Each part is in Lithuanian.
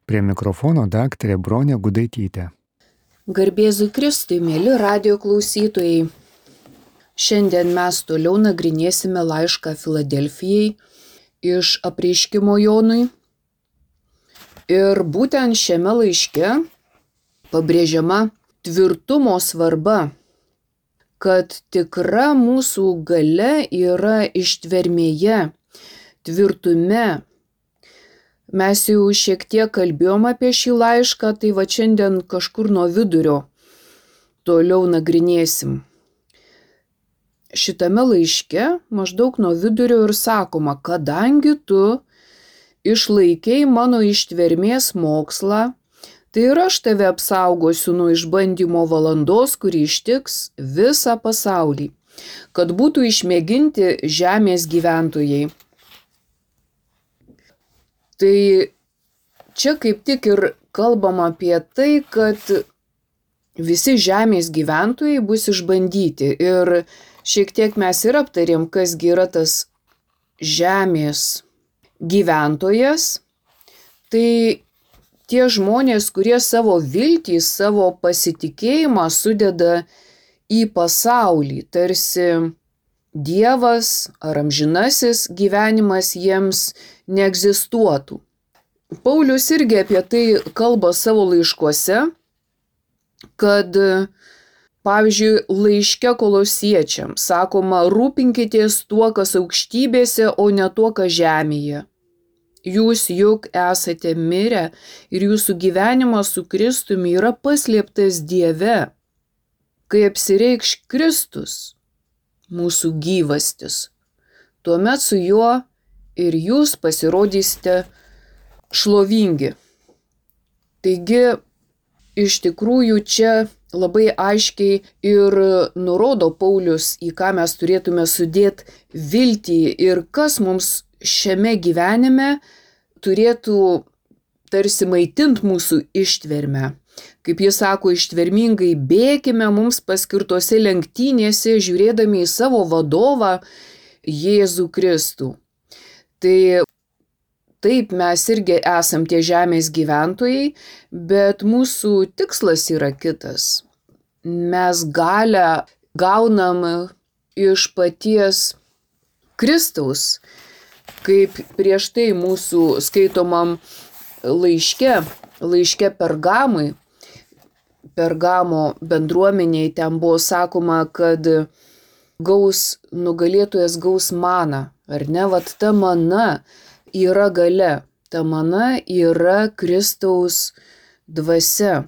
Prie mikrofono daktarė Bronė Gudaitytė. Garbėzui Kristui, mėly radijo klausytojai. Šiandien mes toliau nagrinėsime laišką Filadelfijai iš Apreiškimo Jonui. Ir būtent šiame laiške pabrėžiama tvirtumo svarba, kad tikra mūsų galia yra ištvermėje, tvirtume. Mes jau šiek tiek kalbėjom apie šį laišką, tai va šiandien kažkur nuo vidurio toliau nagrinėsim. Šitame laiške maždaug nuo vidurio ir sakoma, kadangi tu išlaikei mano ištvermės mokslą, tai ir aš tave apsaugosiu nuo išbandymo valandos, kuri ištiks visą pasaulį, kad būtų išmėginti žemės gyventojai. Tai čia kaip tik ir kalbama apie tai, kad visi žemės gyventojai bus išbandyti. Ir šiek tiek mes ir aptarėm, kasgi yra tas žemės gyventojas. Tai tie žmonės, kurie savo viltį, savo pasitikėjimą sudeda į pasaulį, tarsi Dievas ar amžinasis gyvenimas jiems neegzistuotų. Paulius irgi apie tai kalba savo laiškuose, kad, pavyzdžiui, laiške Kolosiečiams sakoma, rūpinkitės tuo, kas aukštybėse, o ne tuo, kas žemėje. Jūs juk esate mirę ir jūsų gyvenimas su Kristumi yra paslėptas Dieve, kai apsireikš Kristus, mūsų gyvastis. Tuomet su juo ir jūs pasirodysite šlovingi. Taigi, iš tikrųjų čia labai aiškiai ir nurodo Paulius, į ką mes turėtume sudėti viltį ir kas mums šiame gyvenime turėtų tarsi maitinti mūsų ištvermę. Kaip jis sako, ištvermingai bėkime mums paskirtose lenktynėse, žiūrėdami į savo vadovą Jėzų Kristų. Tai taip, mes irgi esam tie žemės gyventojai, bet mūsų tikslas yra kitas. Mes galią gaunam iš paties Kristaus, kaip prieš tai mūsų skaitomam laiške Pergamo bendruomeniai ten buvo sakoma, kad nugalėtojas gaus maną, ar ne? Vat ta mana yra galia, ta mana yra Kristaus dvasia.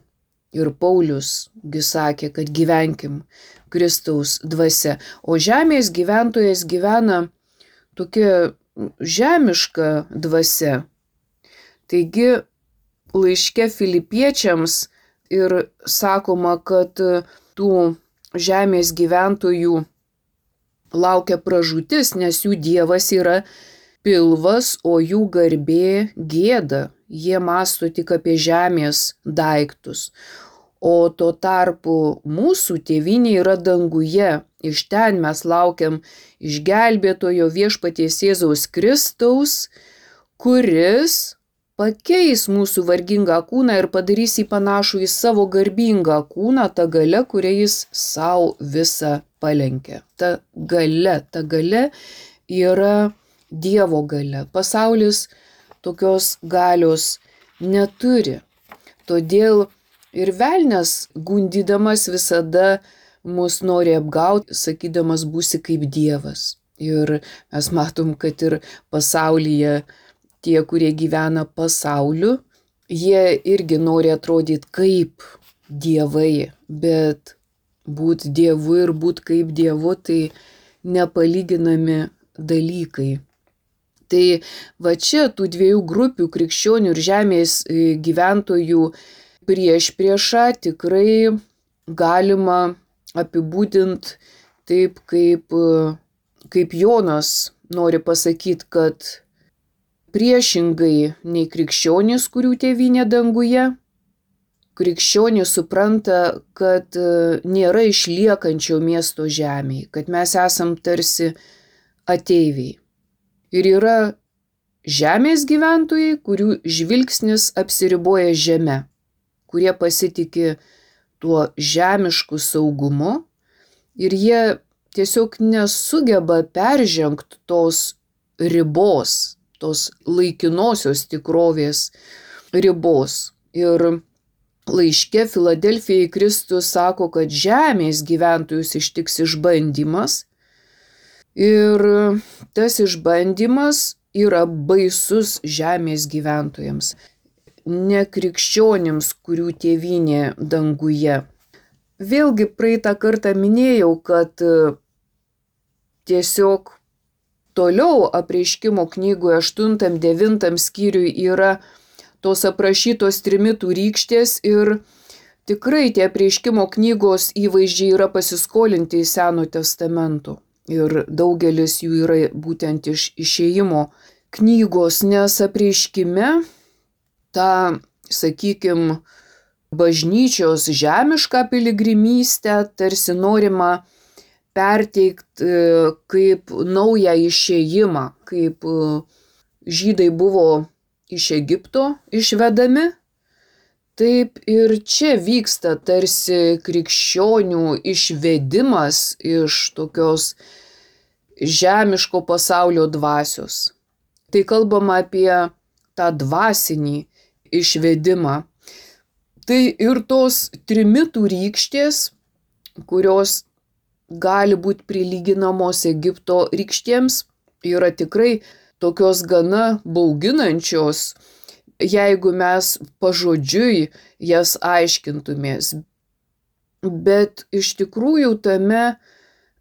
Ir Paulius sakė, kad gyvenkim Kristaus dvasia. O žemės gyventojas gyvena tokia žemiška dvasia. Taigi laiške Filipiečiams ir sakoma, kad tų žemės gyventojų laukia pražūtis, nes jų dievas yra pilvas, o jų garbė gėda. Jie mąsto tik apie žemės daiktus. O tuo tarpu mūsų tėvynė yra danguje. Iš ten mes laukiam išgelbėtojo viešpaties Jėzaus Kristaus, kuris pakeis mūsų vargingą kūną ir padarys jį panašų į savo garbingą kūną, ta galia, kurią jis savo visą palenkė. Ta galia yra Dievo galia. Pasaulis tokios galios neturi. Todėl ir velnias gundydamas visada mus nori apgauti, sakydamas būsi kaip Dievas. Ir mes matom, kad ir pasaulyje tie, kurie gyvena pasauliu, jie irgi nori atrodyti kaip dievai, bet būti dievu ir būti kaip dievu tai nepalyginami dalykai. Tai va čia tų dviejų grupių krikščionių ir žemės gyventojų priešpriešą tikrai galima apibūdinti taip, kaip Jonas nori pasakyti, kad priešingai nei krikščionys, kurių tėvynė danguje, krikščionys supranta, kad nėra išliekančio miesto žemėje, kad mes esam tarsi ateiviai. Ir yra žemės gyventojai, kurių žvilgsnis apsiriboja žeme, kurie pasitikė tuo žemišku saugumu ir jie tiesiog nesugeba peržengti tos ribos, tos laikinosios tikrovės ribos. Ir laiške Filadelfijai Kristus sako, kad žemės gyventojus ištiks išbandymas. Ir tas išbandymas yra baisus žemės gyventojams, ne krikščionims, kurių tėvynė danguje. Vėlgi praeitą kartą minėjau, kad tiesiog toliau Apreiškimo knygoje 8-9 skyriui yra tos aprašytos trimitų rykštės ir tikrai tie Apreiškimo knygos įvaizdžiai yra pasiskolinti į Seno testamento. Ir daugelis jų yra būtent iš Išėjimo knygos, nes Apreiškime tą, sakykime, bažnyčios žemišką piligrimystę tarsi norima perteikti kaip naują išėjimą, kaip žydai buvo iš Egipto išvedami, taip ir čia vyksta tarsi krikščionių išvedimas iš tokios žemiško pasaulio dvasios. Tai kalbama apie tą dvasinį išvedimą. Tai ir tos trimitų rykštės, kurios gali būti prilyginamos Egipto rykštėms, yra tikrai tokios gana bauginančios, jeigu mes pažodžiui jas aiškintumės. Bet iš tikrųjų tame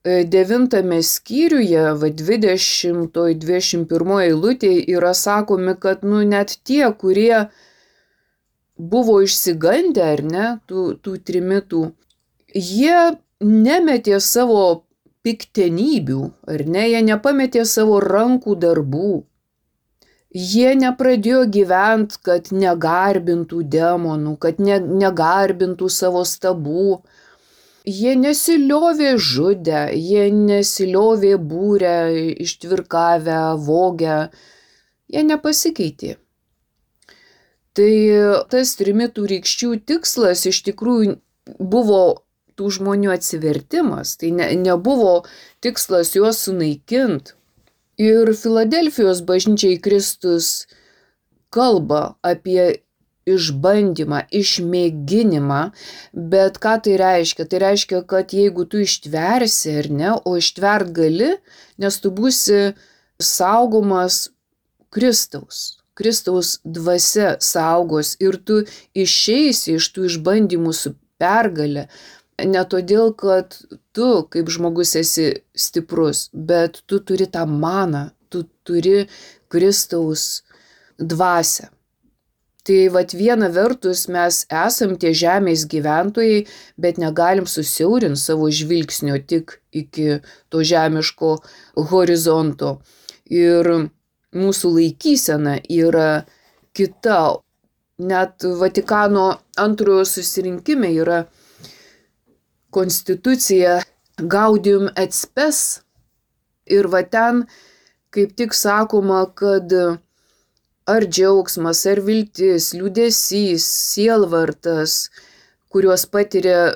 9 skyriuje, 20-21 eilutėje yra sakomi, kad net tie, kurie buvo išsigandę, ar ne, tų trimitų, jie nemetė savo piktenybių, ar ne, jie nepametė savo rankų darbų. Jie nepradėjo gyventi, kad negarbintų demonų, kad negarbintų savo stabų. Jie nesiliovė žudę, jie nesiliovė būrę, ištvirkavę, vogę. Jie nepasikeitė. Tai tas trimitų rykščių tikslas iš tikrųjų buvo tų žmonių atsivertimas, tai nebuvo tikslas juos sunaikinti. Ir Filadelfijos bažnyčiai Kristus kalba apie išbandymą, išmėginimą, bet ką tai reiškia? Tai reiškia, kad jeigu tu ištversi ar ne, o ištvert gali, nes tu būsi saugomas Kristaus dvasia saugos ir tu išeisi iš tų išbandymų su pergale. Ne todėl, kad tu kaip žmogus esi stiprus, bet tu turi tą maną, tu turi Kristaus dvasią. Tai viena vertus mes esam tie žemės gyventojai, bet negalim susiaurinti savo žvilgsnio tik iki to žemiško horizonto. Ir mūsų laikysena yra kita. Net Vatikano antrojo susirinkime yra konstitucija Gaudium et Spes. Ir ten kaip tik sakoma, kad ar džiaugsmas, ar viltis, liūdesys, sielvartas, kuriuos patiria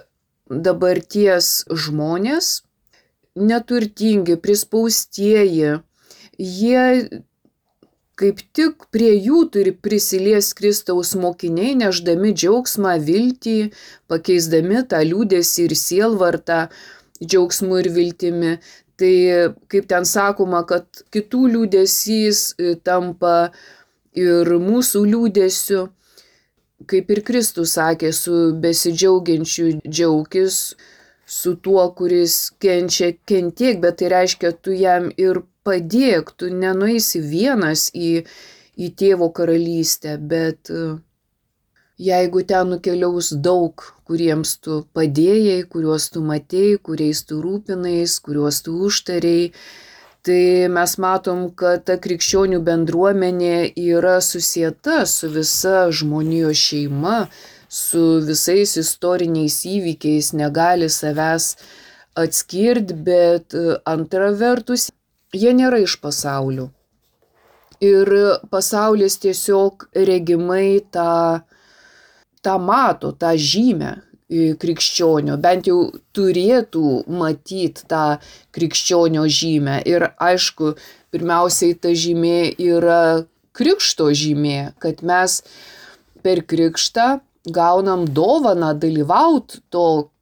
dabarties žmonės, neturtingi, prispaustieji, jie kaip tik prie jų turi prisilies Kristaus mokiniai, nešdami džiaugsmą, viltį, pakeisdami tą liūdesį ir sielvartą džiaugsmu ir viltimi. Tai kaip ten sakoma, kad kitų liūdesys tampa ir mūsų liūdesiu, kaip ir Kristus sakė, su besidžiaugiančiu džiaukis, su tuo, kuris kenčia, kentiek, bet tai reiškia, tu jam ir padėk, tu nenueisi vienas į tėvo karalystę, bet jeigu ten nukeliaus daug, kuriems tu padėjai, kuriuos tu matėjai, kuriais tu rūpinais, kuriuos tu užtarėjai, tai mes matom, kad ta krikščionių bendruomenė yra susieta su visa žmonijos šeima, su visais istoriniais įvykiais, negali savęs atskirti, bet antra vertus, jie nėra iš pasaulio. Ir pasaulis tiesiog regimai tą mato, tą žymę krikščionio, bent jau turėtų matyti tą krikščionio žymę. Ir aišku, pirmiausiai ta žymė yra krikšto žymė, kad mes per krikštą gaunam dovaną dalyvauti to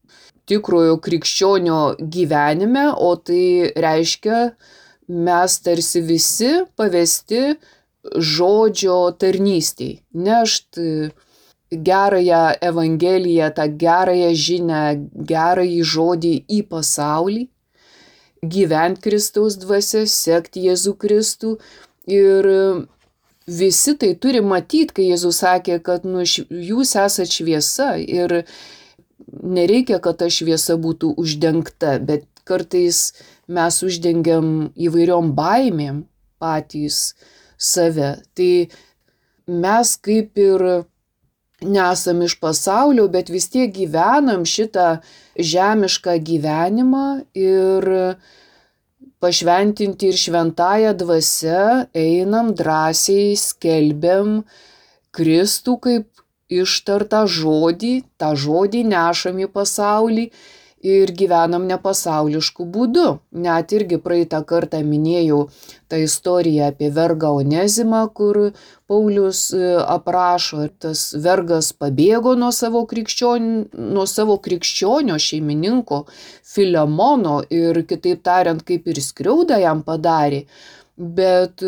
tikrojo krikščionio gyvenime, o tai reiškia, mes tarsi visi pavesti žodžio tarnystei, nešti gerąją evangeliją, tą gerąją žinią, gerąjį žodį į pasaulį, gyventi Kristaus dvasia, sekti Jėzų Kristų. Ir visi tai turi matyti, kai Jėzus sakė, kad jūs esate šviesa ir nereikia, kad ta šviesa būtų uždengta, bet kartais mes uždengiam įvairiom baimėm patys save. Tai mes kaip ir nesam iš pasaulio, bet vis tiek gyvenam šitą žemišką gyvenimą ir pašventinti ir šventąją dvasią einam drąsiai, skelbiam Kristų kaip ištartą žodį, tą žodį nešam į pasaulį ir gyvenam nepasaulišku būdu. Net irgi praeitą kartą minėjau tą istoriją apie vergą Onezimą, kur Paulius aprašo, tas vergas pabėgo nuo savo krikščionio šeimininko Filemono ir, kitaip tariant, kaip ir skriaudą jam padarė. Bet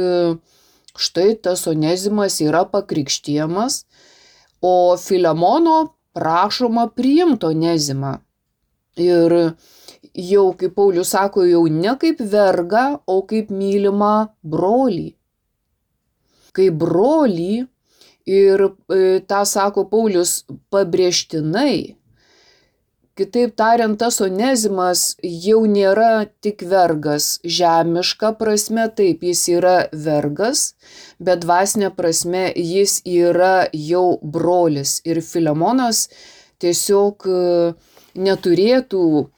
štai tas Onezimas yra pakrikštijamas, o Filemono prašoma priimti Onezimą. Ir jau, kaip Paulius sako, jau ne kaip vergą, o kaip mylimą brolį. Kaip brolį, ir tą sako Paulius pabrėžtinai. Kitaip tariant, tas Onezimas jau nėra tik vergas. Žemiška prasme, taip, jis yra vergas, bet dvasinė prasme jis yra jau brolis. Ir Filemonas tiesiog neturėtų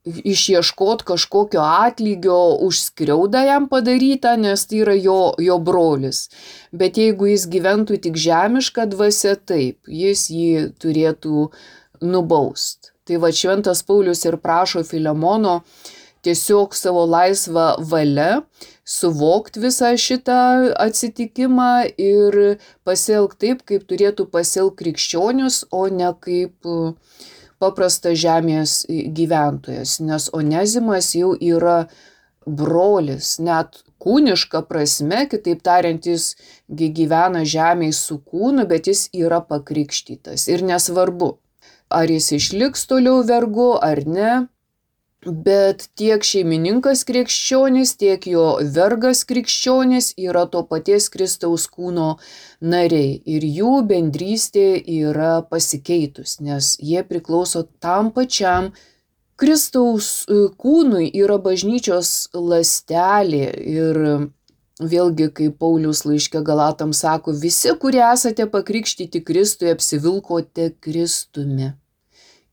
išieškoti kažkokio atlygio už skriaudą jam padarytą, nes tai yra jo brolis. Bet jeigu jis gyventų tik žemišką dvasią, taip, jis jį turėtų nubaust. Tai va, šventas Paulius ir prašo Filemono tiesiog savo laisvą valią suvokti visą šitą atsitikimą ir pasielgti taip, kaip turėtų pasielgti krikščionius, o ne kaip paprastas žemės gyventojas, nes Onezimas jau yra brolis, net kūniška prasme, kitaip tariant, jis gyvena žemėje su kūnu, bet jis yra pakrikštytas. Ir nesvarbu, ar jis išliks toliau vergu ar ne, bet tiek šeimininkas krikščionis, tiek jo vergas krikščionis yra to paties Kristaus kūno nariai. Ir jų bendrystė yra pasikeitus, nes jie priklauso tam pačiam Kristaus kūnui, yra bažnyčios ląstelė. Ir vėlgi, kaip Paulius laiške Galatams sako, visi, kurie esate pakrikštyti Kristui, apsivilkote Kristumi.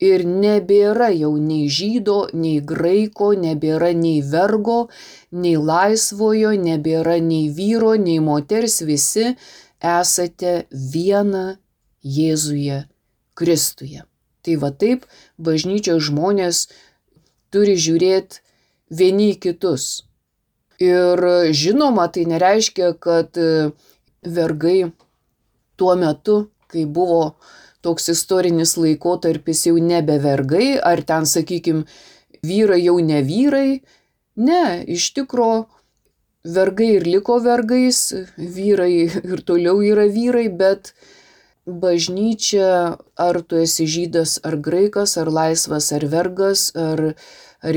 Ir nebėra jau nei žydo, nei graiko, nebėra nei vergo, nei laisvojo, nebėra nei vyro, nei moters, visi esate viena Jėzuje Kristuje. Tai va taip bažnyčios žmonės turi žiūrėti vieni į kitus. Ir žinoma, tai nereiškia, kad vergai tuo metu, kai buvo toks istorinis laikotarpis, jau nebe vergai, ar ten, sakykime, vyrai jau ne vyrai. Ne, iš tikro vergai ir liko vergais, vyrai ir toliau yra vyrai, bet bažnyčia, ar tu esi žydas, ar graikas, ar laisvas, ar vergas, ar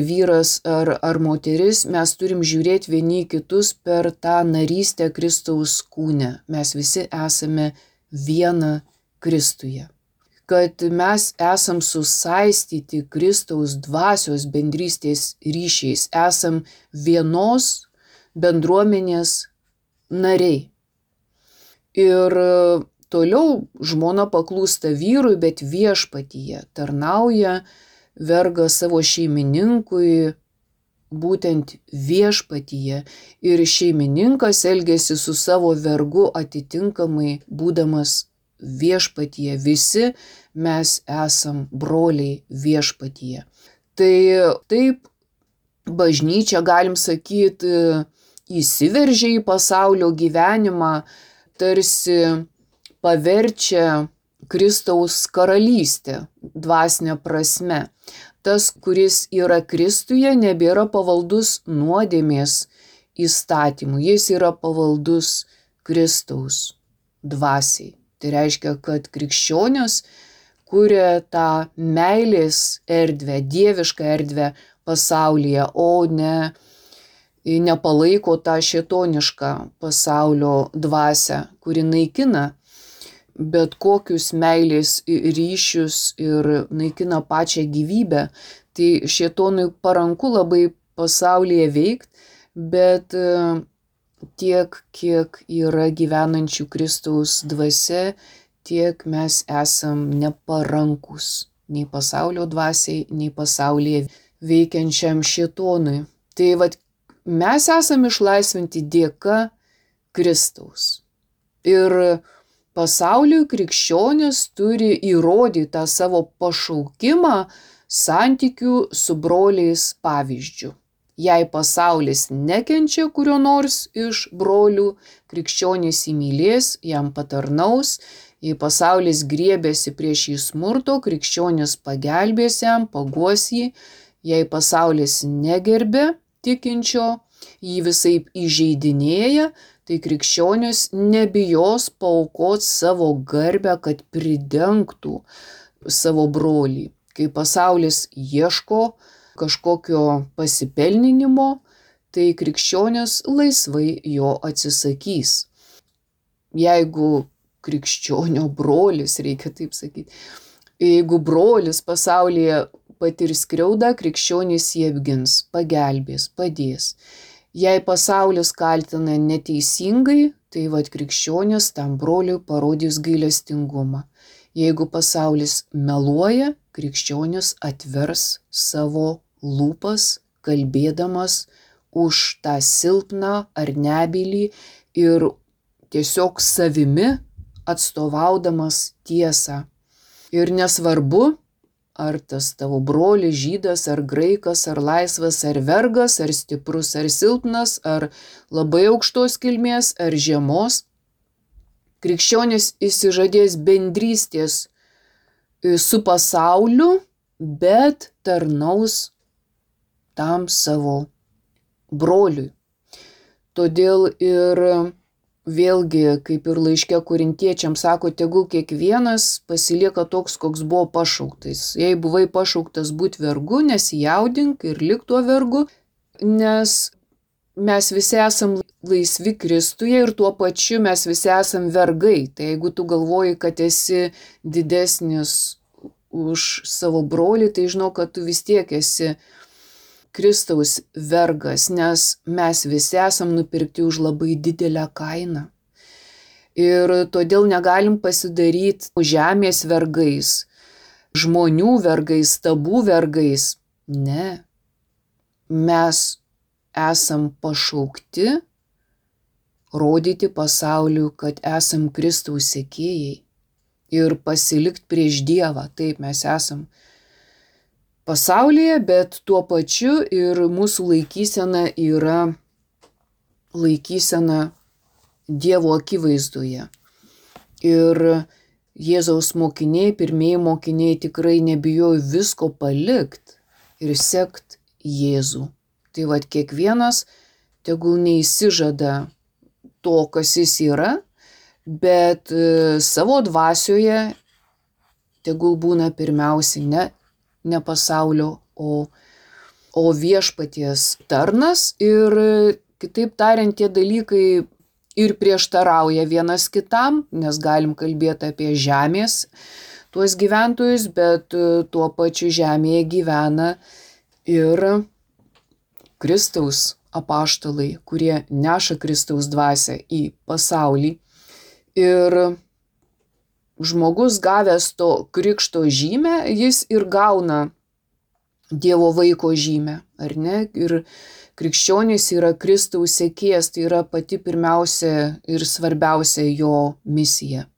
vyras, ar moteris, mes turim žiūrėti vieni kitus per tą narystę Kristaus kūne. Mes visi esame viena Kristuje. Kad mes esam susaistyti Kristaus dvasios bendrystės ryšiais, esam vienos bendruomenės nariai. Ir toliau žmona paklūsta vyrui, bet viešpatyje tarnauja vergas savo šeimininkui būtent viešpatyje ir šeimininkas elgėsi su savo vergu atitinkamai būdamas viešpatyje. Visi mes esam broliai viešpatyje. Tai taip bažnyčia, galim sakyti, įsiveržia į pasaulio gyvenimą, tarsi paverčia Kristaus karalystę dvasinę prasme. Tas, kuris yra Kristuje, nebėra pavaldus nuodėmės įstatymų, jis yra pavaldus Kristaus dvasiai. Tai reiškia, kad krikščionis kuria tą meilės erdvę, dievišką erdvę pasaulyje, o ne nepalaiko tą šėtonišką pasaulio dvasią, kuri naikina bet kokius meilės ryšius ir naikina pačią gyvybę. Tai šėtonui paranku labai pasaulyje veikti, bet tiek, kiek yra gyvenančių Kristaus dvasia, tiek mes esam neparankus nei pasaulio dvasiai, nei pasaulyje veikiančiam šėtonui. Tai vat mes esam išlaisvinti dėka Kristaus. Ir pasauliui krikščionis turi įrodyti tą savo pašaukimą santykių su broliais pavyzdžiu. Jei pasaulis nekenčia kurio nors iš brolių, krikščionis įmylės, jam patarnaus. Jei pasaulis griebėsi prieš jį smurto, krikščionis pagelbės jam, paguos jį. Jei pasaulis negerbė tikinčio, jį visaip įžeidinėja, tai krikščionis nebijos paaukoti savo garbę, kad pridengtų savo brolį. Kai pasaulis ieško kažkokio pasipelninimo, tai krikščionis laisvai jo atsisakys. Jeigu krikščionio brolis, reikia taip sakyti, jeigu brolis pasaulyje patirs skriaudą, krikščionis jį apgins, pagelbės, padės. Jei pasaulis kaltina neteisingai, tai vat krikščionis tam broliui parodys gailestingumą. Jeigu pasaulis meluoja, krikščionis atvers savo lūpas, kalbėdamas už tą silpną ar nebylį ir tiesiog savimi atstovaudamas tiesą. Ir nesvarbu, ar tas tavo brolis žydas, ar graikas, ar laisvas, ar vergas, ar stiprus, ar silpnas, ar labai aukštos kilmės, ar žemos. Krikščionis išsižadės bendrystės su pasauliu, bet tarnaus tam savo broliui. Todėl ir vėlgi, kaip ir laiške korintiečiams sako, tegul kiekvienas pasilieka toks, koks buvo pašauktas. Jei buvai pašauktas būti vergu, nesijaudink ir lik tuo vergu, nes mes visi esam laisvi Kristuje ir tuo pačiu mes visi esam vergai. Tai jeigu tu galvoji, kad esi didesnis už savo brolį, tai žinau, kad tu vis tiek esi Kristaus vergas, nes mes visi esam nupirkti už labai didelę kainą. Ir todėl negalim pasidaryti žemės vergais, žmonių vergais, stabų vergais. Ne. Mes esam pašaukti rodyti pasauliu, kad esam Kristaus sekėjai ir pasilikti prieš Dievą. Taip, mes esam pasaulyje, bet tuo pačiu ir mūsų laikysena yra laikysena Dievo akivaizdoje. Ir Jėzaus mokiniai, pirmieji mokiniai tikrai nebijojo visko palikti ir sekt Jėzų. Tai vat kiekvienas tegul neįsižada to, kas jis yra, bet savo dvasioje tegul būna pirmiausiai ne pasaulio, o viešpaties tarnas. Ir kitaip tariant, tie dalykai ir prieštarauja vienas kitam, nes galim kalbėti apie žemės tuos gyventojus, bet tuo pačiu žemėje gyvena ir Kristaus apaštalai, kurie neša Kristaus dvasią į pasaulį. Ir žmogus gavęs to krikšto žymę, jis ir gauna Dievo vaiko žymę, ar ne? Ir krikščionis yra Kristaus sekėjas, tai yra pati pirmiausia ir svarbiausia jo misija,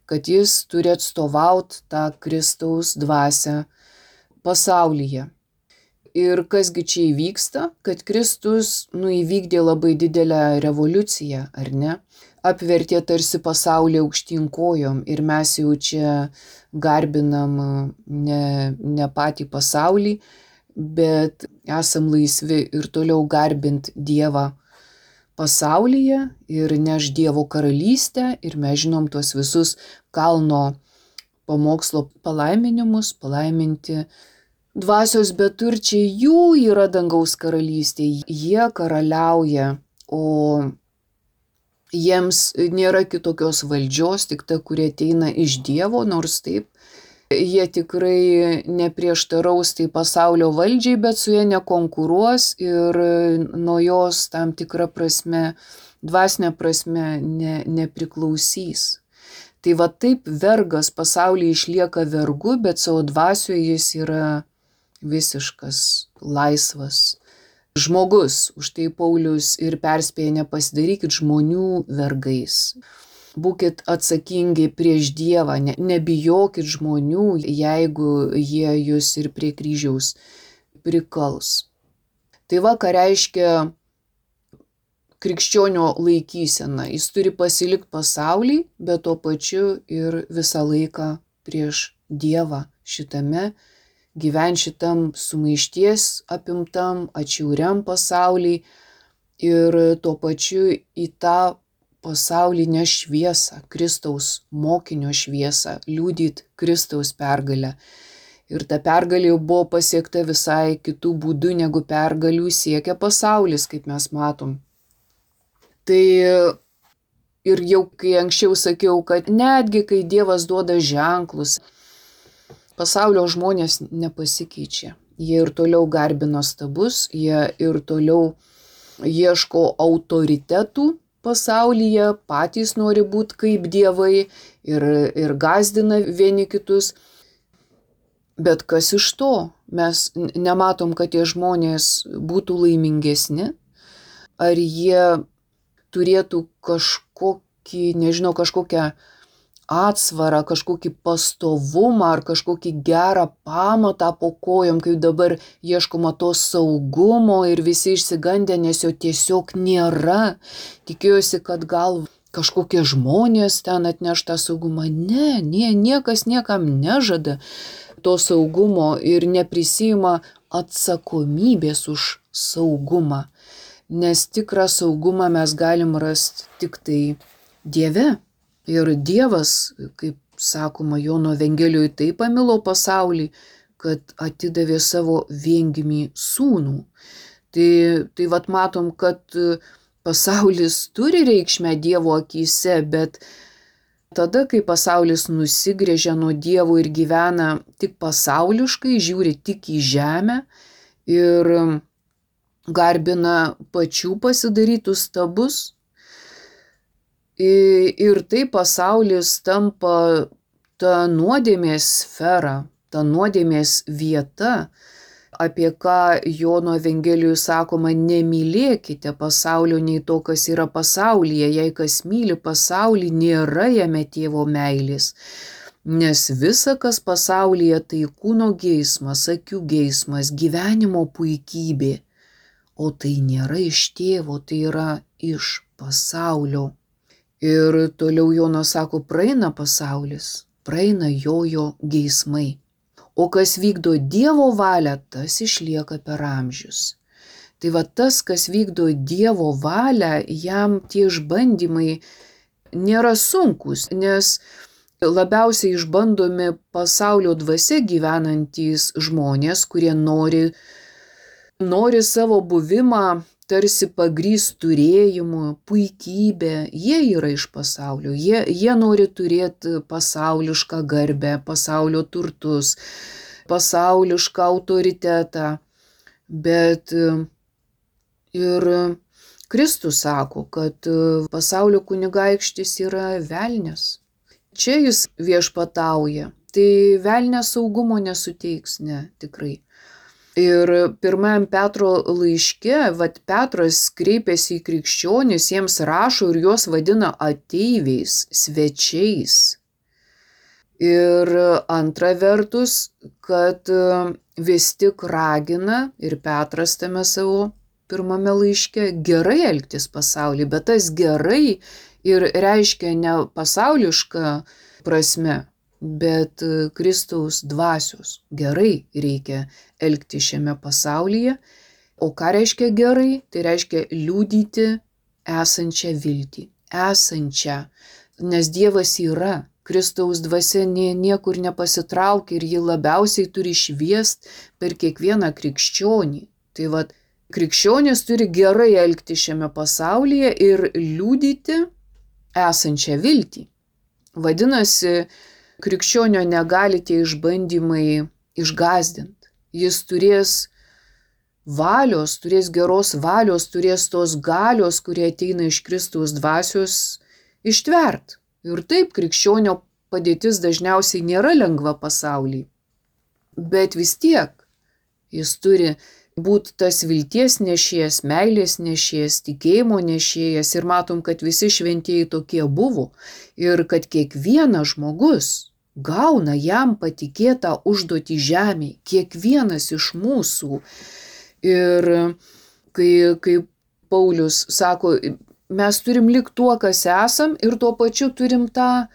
kad jis turi atstovauti tą Kristaus dvasią pasaulyje. Ir kasgi čia įvyksta, kad Kristus įvykdė labai didelę revoliuciją, ar ne? Apvertė tarsi pasaulį aukštyn kojom ir mes jau čia garbinam ne patį pasaulį, bet esam laisvi ir toliau garbint Dievą pasaulyje ir neš Dievo karalystę ir mes žinom tuos visus kalno pamokslo palaiminimus, palaiminti dvasios beturčiai, jų yra dangaus karalystė, jie karaliauja, o jiems nėra kitokios valdžios, tik ta, kurie ateina iš Dievo, nors taip, jie tikrai neprieštaraus tai pasaulio valdžiai, bet su jie nekonkuruos ir nuo jos tam tikrą prasme, dvasinę prasme nepriklausys. Tai va taip vergas pasaulyje išlieka vergu, bet savo dvasioje jis yra visiškas laisvas žmogus. Už tai Paulius ir perspėja: nepasidarykit žmonių vergais. Būkit atsakingi prieš Dievą, nebijokit žmonių, jeigu jie jūs ir prie kryžiaus prikals. Tai va, ką reiškia krikščionio laikysena. Jis turi pasilikti pasaulį, bet tuo pačiu ir visą laiką prieš Dievą šitame, gyventi šitam sumaišties apimtam, atšiauriam pasaulį ir tuo pačiu į tą pasaulinę šviesą, Kristaus mokinio šviesą, liudyt Kristaus pergalę. Ir ta pergalė jau buvo pasiekta visai kitų būdų, negu pergalių siekia pasaulis, kaip mes matom. Tai ir jau kai anksčiau sakiau, kad netgi kai Dievas duoda ženklus, pasaulio žmonės nepasikeičia. Jie ir toliau garbina stabus, jie ir toliau ieško autoritetų pasaulyje, patys nori būti kaip dievai ir gąsdina vieni kitus. Bet kas iš to? Mes nematom, kad tie žmonės būtų laimingesni, ar jie turėtų kažkokią atsvarą, kažkokį pastovumą ar kažkokį gerą pamatą po kojom, kai dabar ieškoma to saugumo ir visi išsigandę, nes jo tiesiog nėra. Tikėjosi, kad gal kažkokie žmonės ten atneš tą saugumą. Ne, niekas niekam nežada to saugumo ir neprisima atsakomybės už saugumą. Nes tikrą saugumą mes galim rasti tik tai Dieve. Ir Dievas, kaip sakoma Jono Evangelijoje, taip pamilo pasaulį, kad atidavė savo viengimį sūnų. Tai vat matom, kad pasaulis turi reikšmę Dievo akyse, bet tada, kai pasaulis nusigręžia nuo Dievo ir gyvena tik pasauliškai, žiūri tik į žemę ir garbina pačių pasidarytus stabus, ir tai pasaulis tampa ta nuodėmės sfera, ta nuodėmės vieta, apie ką Jono Evangelijoje sakoma: nemylėkite pasaulio nei to, kas yra pasaulyje, jei kas myli pasaulį, nėra jame Tėvo meilės. Nes visa, kas pasaulyje, tai kūno geismas, akių geismas, gyvenimo puikybė, o tai nėra iš Tėvo, tai yra iš pasaulio. Ir toliau Jonas sako: praeina pasaulis, praeina jo geismai. O kas vykdo Dievo valią, tas išlieka per amžius. Tai va tas, kas vykdo Dievo valią, jam tie išbandymai nėra sunkus, nes labiausiai išbandomi pasaulio dvasia gyvenantys žmonės, kurie nori savo buvimą tarsi pagrįst turėjimu, puikybė. Jie yra iš pasaulio, jie nori turėti pasaulišką garbę, pasaulio turtus, pasaulišką autoritetą. Bet ir Kristus sako, kad pasaulio kunigaikštis yra velnias. Čia jis viešpatauja. Tai velnias saugumo nesuteiks, ne, tikrai. Ir pirmajam Petro laiške, Petras kreipiasi į krikščionis, jiems rašo ir juos vadina ateiviais, svečiais. Ir antra vertus, kad vis tik ragina ir Petras tame savo pirmame laiške gerai elgtis pasaulyje, bet tas gerai ir reiškia ne pasaulišką prasme, bet Kristaus dvasios. Gerai reikia elgti šiame pasaulyje. O ką reiškia gerai? Tai reiškia liudyti esančią viltį. Esančią. Nes Dievas yra. Kristaus dvasia niekur nepasitraukia ir ji labiausiai turi šviest per kiekvieną krikščionį. Tai krikščionis turi gerai elgti šiame pasaulyje ir liudyti esančią viltį. Vadinasi, krikščionio negali tie išbandymai išgąsdinti. Jis turės valios, turės geros valios, turės tos galios, kurie ateina iš Kristaus dvasios, ištvert. Ir taip, krikščionio padėtis dažniausiai nėra lengva pasaulyje. Bet vis tiek jis turi būti tas vilties nešėjas, meilės nešėjas, tikėjimo nešėjas. Ir matom, kad visi šventieji tokie buvo. Ir kad kiekvienas žmogus gauna jam patikėtą užduotį žemėje. Kiekvienas iš mūsų. Ir kai Paulius sako, mes turim likti tuo, kas esam, ir tuo pačiu turim tą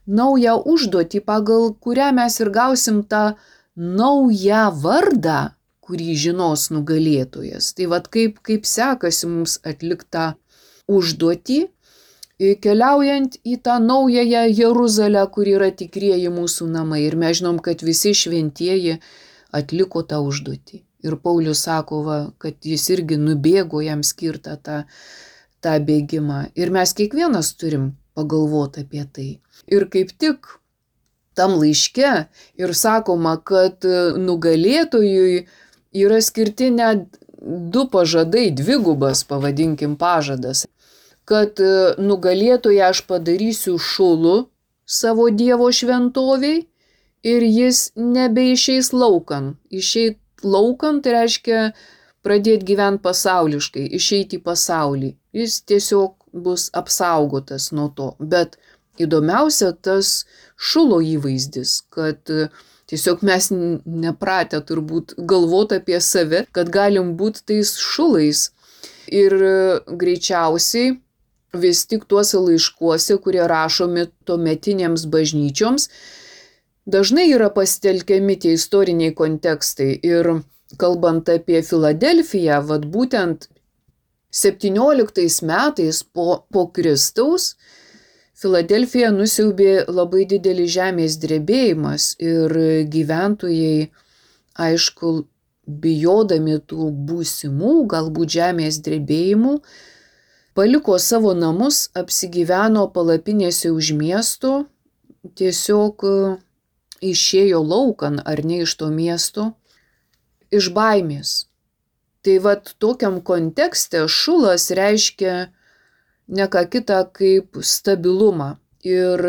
naują užduotį, pagal kurią mes ir gausim tą naują vardą, kurį žinos nugalėtojas. Tai kaip sekasi mums atliktą užduotį, keliaujant į tą naująją Jeruzalę, kur yra tikrieji mūsų namai. Ir mes žinom, kad visi šventieji atliko tą užduotį. Ir Paulius sako, kad jis irgi nubėgo jam skirtą tą bėgimą. Ir mes kiekvienas turim pagalvoti apie tai. Ir kaip tik tam laiške ir sakoma, kad nugalėtojui yra skirti net 2 pažadai, dvigubas, pavadinkim, pažadas. Kad nugalėtoją aš padarysiu šulu savo Dievo šventoviai ir jis nebeišeis laukan. Išeit laukan tai reiškia pradėti gyventi pasauliškai, išeiti į pasaulį. Jis tiesiog bus apsaugotas nuo to. Bet įdomiausia tas šulo įvaizdis, kad tiesiog mes nepratę turbūt galvoti apie save, kad galim būti tais šulais. Ir greičiausiai vis tik tuose laiškuose, kurie rašomi tuometinėms bažnyčioms, dažnai yra pasitelkiami tie istoriniai kontekstai. Ir kalbant apie Filadelfiją, būtent 17 metais po Kristaus Filadelfiją nusiaubė labai didelis žemės drebėjimas ir gyventojai, aišku, bijodami tų būsimų galbūt žemės drebėjimų, paliko savo namus, apsigyveno palapinėse už miesto, tiesiog išėjo laukan ar ne iš to miesto, iš baimės. Tai tokiam kontekste šulas reiškia ne ką kitą kaip stabilumą. Ir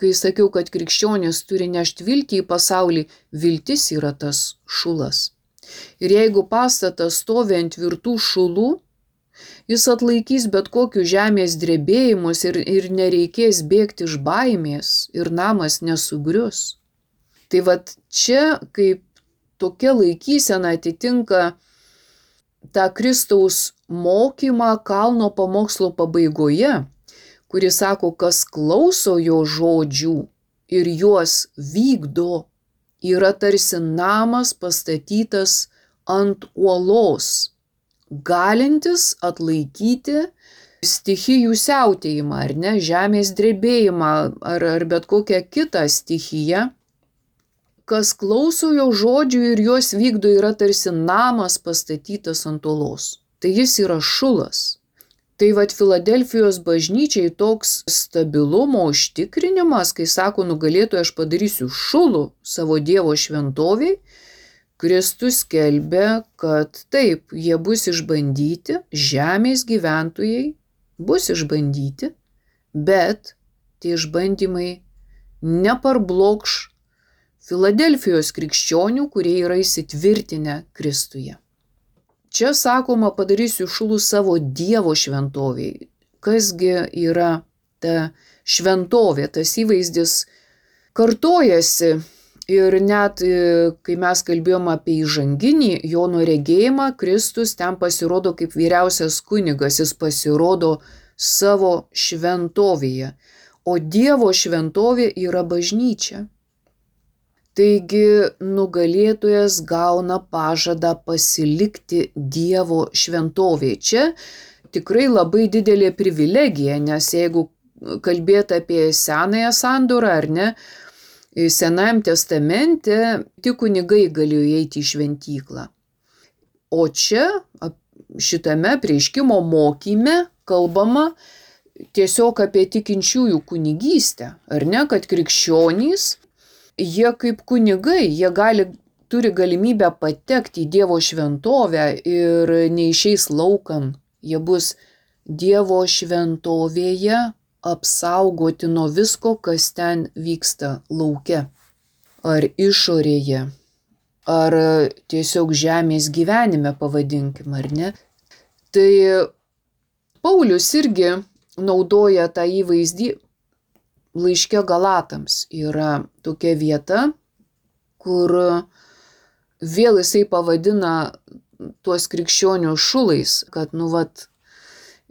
kai sakiau, kad krikščionis turi nešti viltį į pasaulį, viltis yra tas šulas. Ir jeigu pastatas stovi ant tvirtų šulų, jis atlaikys bet kokius žemės drebėjimus ir nereikės bėgti iš baimės ir namas nesugrius. Tai čia kaip tokia laikysena atitinka tą Kristaus mokymą kalno pamokslo pabaigoje, kuris sako, kas klauso jo žodžių ir juos vykdo, yra tarsi namas pastatytas ant uolos, galintis atlaikyti stichijų siautėjimą, ar ne, žemės drebėjimą, ar bet kokią kitą stichiją. Kas klauso jo žodžių ir juos vykdo, yra tarsi namas pastatytas ant uolos. Tai jis yra šulas. Tai Filadelfijos bažnyčiai toks stabilumo užtikrinimas, kai sako nugalėtojas aš padarysiu šulų savo Dievo šventoviai, Kristus skelbia, kad taip, jie bus išbandyti, žemės gyventojai bus išbandyti, bet tie išbandymai neparblokš Filadelfijos krikščionių, kurie yra įsitvirtinę Kristuje. Čia sakoma, padarysiu šulų savo Dievo šventoviai. Kasgi yra ta šventovė, tas įvaizdis kartojasi ir net kai mes kalbėjom apie įžanginį Jono regėjimą, Kristus ten pasirodo kaip vyriausias kunigas, jis pasirodo savo šventovėje, o Dievo šventovė yra bažnyčia. Taigi nugalėtojas gauna pažadą pasilikti Dievo šventovėje. Čia tikrai labai didelė privilegija, nes jeigu kalbėti apie Senąją sandorą ar ne, Senajam testamente tik kunigai galėjo eiti į šventyklą. O čia šitame apreiškimo mokyme kalbama tiesiog apie tikinčiųjų kunigystę, ar ne, kad krikščionys, jie kaip kunigai, jie turi galimybę patekti į Dievo šventovę ir neišeis laukan. Jie bus Dievo šventovėje apsaugoti nuo visko, kas ten vyksta lauke. Ar išorėje, ar tiesiog žemės gyvenime pavadinkim, ar ne. Tai Paulius irgi naudoja tą įvaizdį. Laiške Galatams yra tokia vieta, kur vėl jisai pavadina tuos krikščionių šulais, kad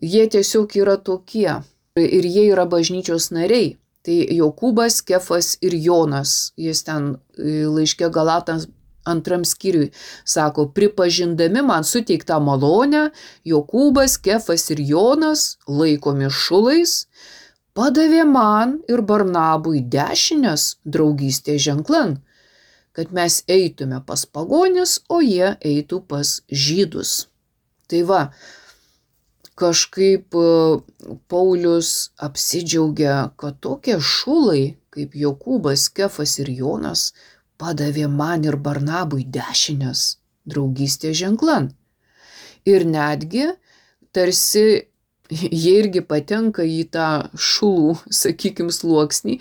jie tiesiog yra tokie ir jie yra bažnyčios nariai. Tai Jokūbas, Kefas ir Jonas, jis ten laiške Galatams 2 skyriui sako, pripažindami man suteiktą malonę, Jokūbas, Kefas ir Jonas, laikomi šulais, padavė man ir Barnabui dešinės draugystės ženklan, kad mes eitume pas pagonis, o jie eitų pas žydus. Tai va, kažkaip Paulius apsidžiaugia, kad tokie šulai kaip Jokūbas, Kefas ir Jonas padavė man ir Barnabui dešinės draugystės ženklan. Ir netgi tarsi jie irgi patenka į tą šulų, sakykim, sluoksnį,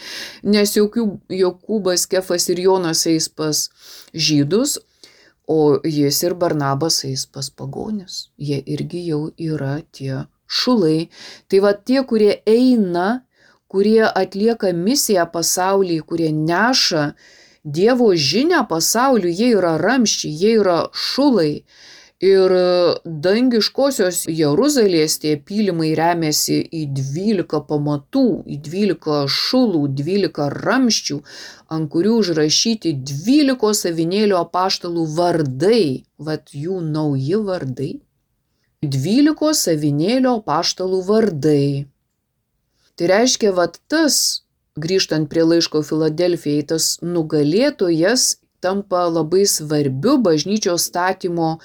nes Jokūbas, Kefas ir Jonas eis pas žydus, o jis ir Barnabas eis pas pagonis. Jie irgi jau yra tie šulai. Tai va tie, kurie eina, kurie atlieka misiją pasaulyje, kurie neša Dievo žinią pasauliu, jie yra ramščiai, jie yra šulai. Ir dangiškosios Jeruzalės tie pylimai remiasi į 12 pamatų, į 12 šulų, 12 ramščių, ant kurių užrašyti 12 avinėlio apaštalų vardai, vat jų nauji vardai. 12 avinėlio apaštalų vardai. Tai reiškia, vat tas, grįžtant prie laiško Filadelfijai, tas nugalėtojas tampa labai svarbiu bažnyčios statymo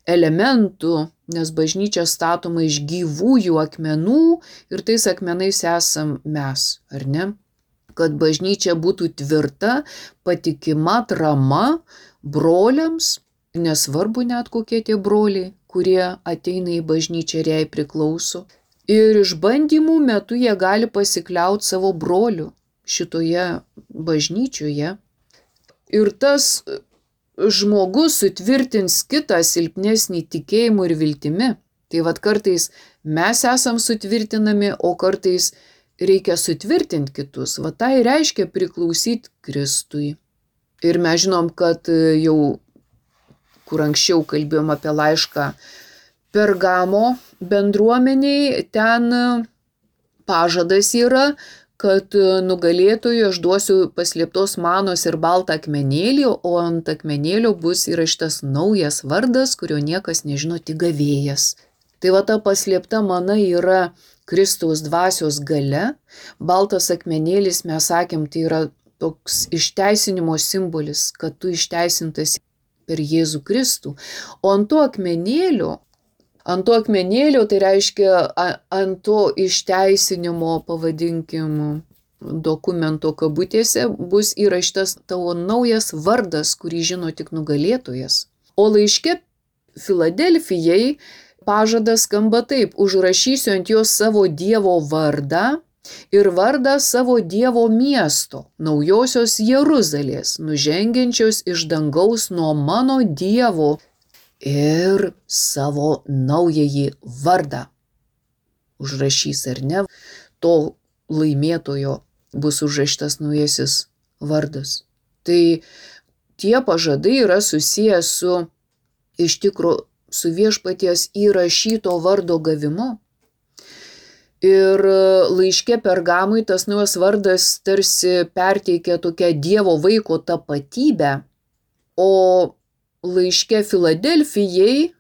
elementų, nes bažnyčia statoma iš gyvųjų akmenų ir tais akmenais esam mes, ar ne? Kad bažnyčia būtų tvirta, patikima, atrama broliams, nesvarbu net kokie tie broliai, kurie ateina į bažnyčią ir jai priklauso. Ir išbandymų metu jie gali pasikliauti savo broliu šitoje bažnyčioje. Ir tas žmogus sutvirtins kitą silpnesnį tikėjimu ir viltimi. Tai vat kartais mes esam sutvirtinami, o kartais reikia sutvirtinti kitus. Va tai reiškia priklausyti Kristui. Ir mes žinom, kad jau, kur anksčiau kalbėjom apie laišką Pergamo bendruomeniai, ten pažadas yra, kad nugalėtojui aš duosiu paslėptos manos ir baltą akmenėlį, o ant akmenėlio bus įrašytas naujas vardas, kurio niekas nežino, tik gavėjas. Tai va ta paslėpta mana yra Kristaus dvasios galia. Baltas akmenėlis, mes sakėm, tai yra toks išteisinimo simbolis, kad tu išteisintas per Jėzų Kristų. O ant to akmenėlio, tai reiškia ant to išteisinimo, pavadinkim, dokumento kabutėse, bus įrašytas tavo naujas vardas, kurį žino tik nugalėtojas. O laiške Filadelfijai pažadas skamba taip: užrašysiu ant jos savo Dievo vardą, ir vardą savo Dievo miesto, naujosios Jeruzalės, nužengiančios iš dangaus nuo mano Dievo ir savo naująjį vardą. Užrašys ar ne, to laimėtojo bus užrašytas naujasis vardas. Tai tie pažadai yra susiję iš tikrųjų su viešpaties įrašyto vardo gavimu. Ir laiške Pergamui tas naujas vardas tarsi perteikia tokią Dievo vaiko tapatybę, o laiške Filadelfijai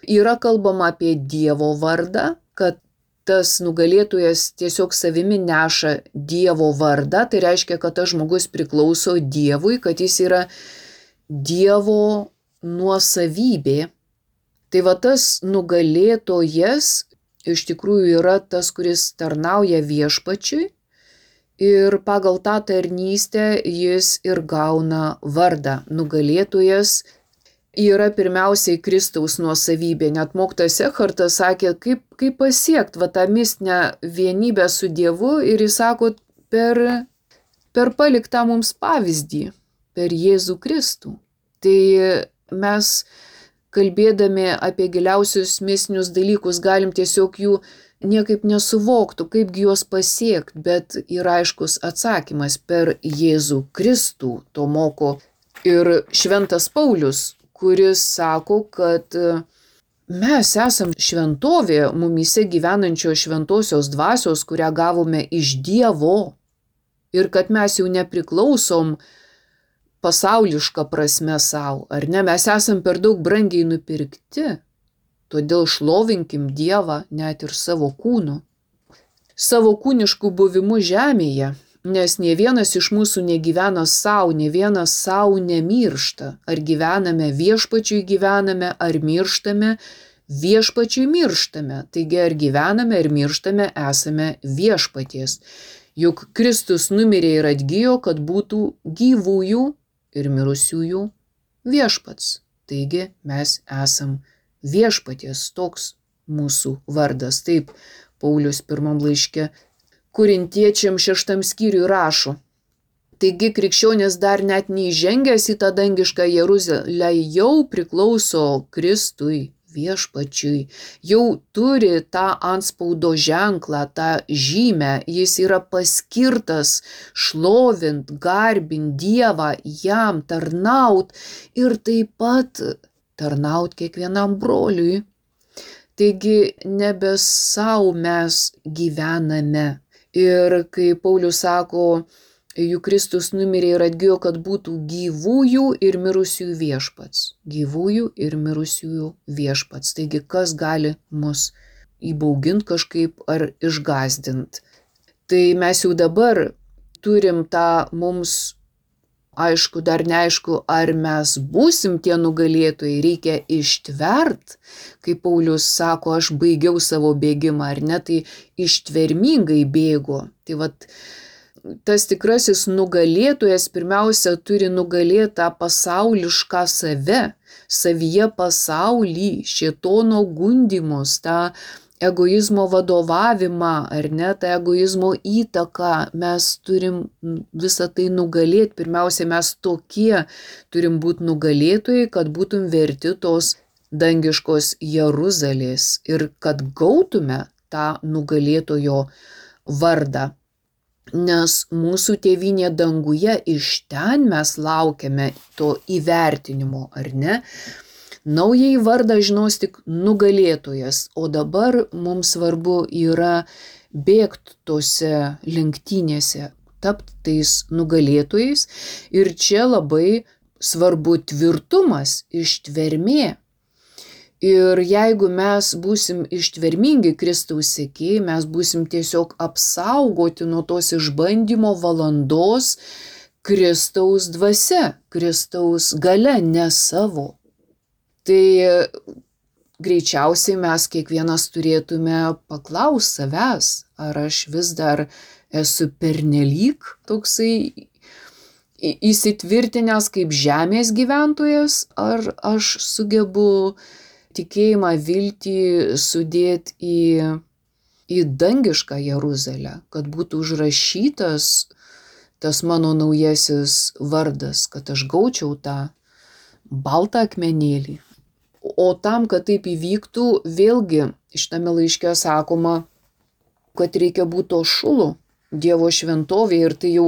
yra kalbama apie Dievo vardą, kad tas nugalėtojas tiesiog savimi neša Dievo vardą, tai reiškia, kad tas žmogus priklauso Dievui, kad jis yra Dievo nuosavybė. Tai va tas nugalėtojas iš tikrųjų yra tas, kuris tarnauja viešpačiui ir pagal tą tarnystę jis ir gauna vardą. Nugalėtojas yra pirmiausiai Kristaus nuosavybė. Net mokytojas Ekhartas sakė, kaip pasiekti va tą mistinę vienybę su Dievu, ir jis sako per paliktą mums pavyzdį, per Jėzų Kristų. Tai mes, kalbėdami apie giliausius mistinius dalykus, galim tiesiog jų niekaip nesuvoktų, kaipgi juos pasiekti, bet yra aiškus atsakymas per Jėzų Kristų, to moko ir šventas Paulius, kuris sako, kad mes esam šventovė mumyse gyvenančio šventosios dvasios, kurią gavome iš Dievo, ir kad mes jau nepriklausom pasaulišką prasme savo, ar ne? Mes esam per daug brangiai nupirkti, todėl šlovinkim Dievą net ir savo kūnu, savo kūniškų buvimu žemėje, nes nė vienas iš mūsų negyvena savo, nė vienas savo nemiršta. Ar gyvename viešpačiui gyvename, ar mirštame, viešpačiui mirštame. Taigi ar gyvename, ar mirštame, esame viešpaties. Juk Kristus numirė ir atgijo, kad būtų gyvųjų ir mirusiųjų viešpats. Taigi mes esam viešpaties, toks mūsų vardas. Taip, Paulius pirmam laiške Korintiečiam 6 skyriui rašo. Taigi krikščionis dar net neįžengęs į tą dangišką Jeruzalę jau priklauso Kristui, viešpačiui, jau turi tą antspaudo ženklą, tą žymę, jis yra paskirtas šlovint, garbint Dievą, jam tarnaut ir taip pat tarnaut kiekvienam broliui. Taigi nebe savo mes gyvename. Ir kai Paulius sako, juk Kristus numirė ir atgijo, kad būtų gyvųjų ir mirusiųjų viešpats. Gyvųjų ir mirusiųjų viešpats. Taigi kas gali mus įbauginti kažkaip ar išgąsdinti. Tai mes jau dabar turim tą mums, aišku, dar neaišku, ar mes būsim tie nugalėtojai, reikia ištvert, kai Paulius sako, aš baigiau savo bėgimą, ar ne, tai ištvermingai bėgo. Tai vat, tas tikrasis nugalėtojas pirmiausia turi nugalėtą pasaulišką save, savyje pasaulį, šėtono gundymus, tą egoizmo vadovavimą, ar ne, tą egoizmo įtaką, mes turim visą tai nugalėti. Pirmiausia, mes tokie turim būti nugalėtojai, kad būtum verti tos dangiškos Jeruzalės ir kad gautume tą nugalėtojo vardą. Nes mūsų tėvynė danguje, iš ten mes laukiame to įvertinimo, ar ne? Naująjį vardą žinos tik nugalėtojas, o dabar mums svarbu yra bėgti tose lenktynėse, tapti tais nugalėtojais. Ir čia labai svarbu tvirtumas, ištvermė. Ir jeigu mes būsim ištvermingi Kristaus sekėjai, mes būsim tiesiog apsaugoti nuo tos išbandymo valandos Kristaus dvasia, Kristaus galia, ne savo. Tai greičiausiai mes kiekvienas turėtume paklausti savęs, ar aš vis dar esu pernelyg toksai įsitvirtinęs kaip žemės gyventojas, ar aš sugebu tikėjimą, viltį sudėti į dangišką Jeruzalę, kad būtų užrašytas tas mano naujasis vardas, kad aš gaučiau tą baltą akmenėlį. O tam, kad taip įvyktų, vėlgi šitame laiške sakoma, kad reikia būti to šulu Dievo šventovėje ir tai jau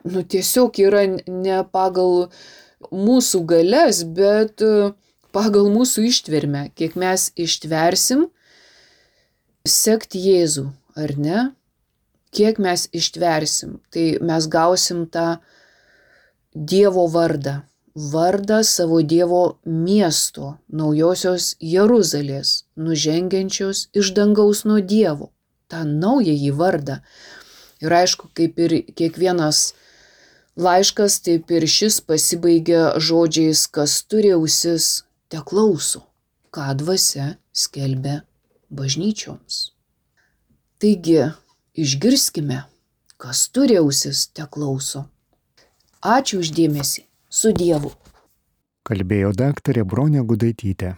tiesiog yra ne pagal mūsų galias, bet pagal mūsų ištvermę, kiek mes ištversim sekti Jėzų, ar ne? Kiek mes ištversim, tai mes gausim tą Dievo vardą, vardą savo Dievo miesto, naujosios Jeruzalės, nužengiančios iš dangaus nuo Dievo, tą naująjį vardą. Ir aišku, kaip ir kiekvienas laiškas, taip ir šis pasibaigia žodžiais, kas turi ausis, te klauso, ką dvasia skelbia bažnyčioms. Taigi, išgirskime, kas turi ausis, te klauso. Ačiū už dėmesį. Su Dievu. Kalbėjo daktarė Bronė Gudaitytė.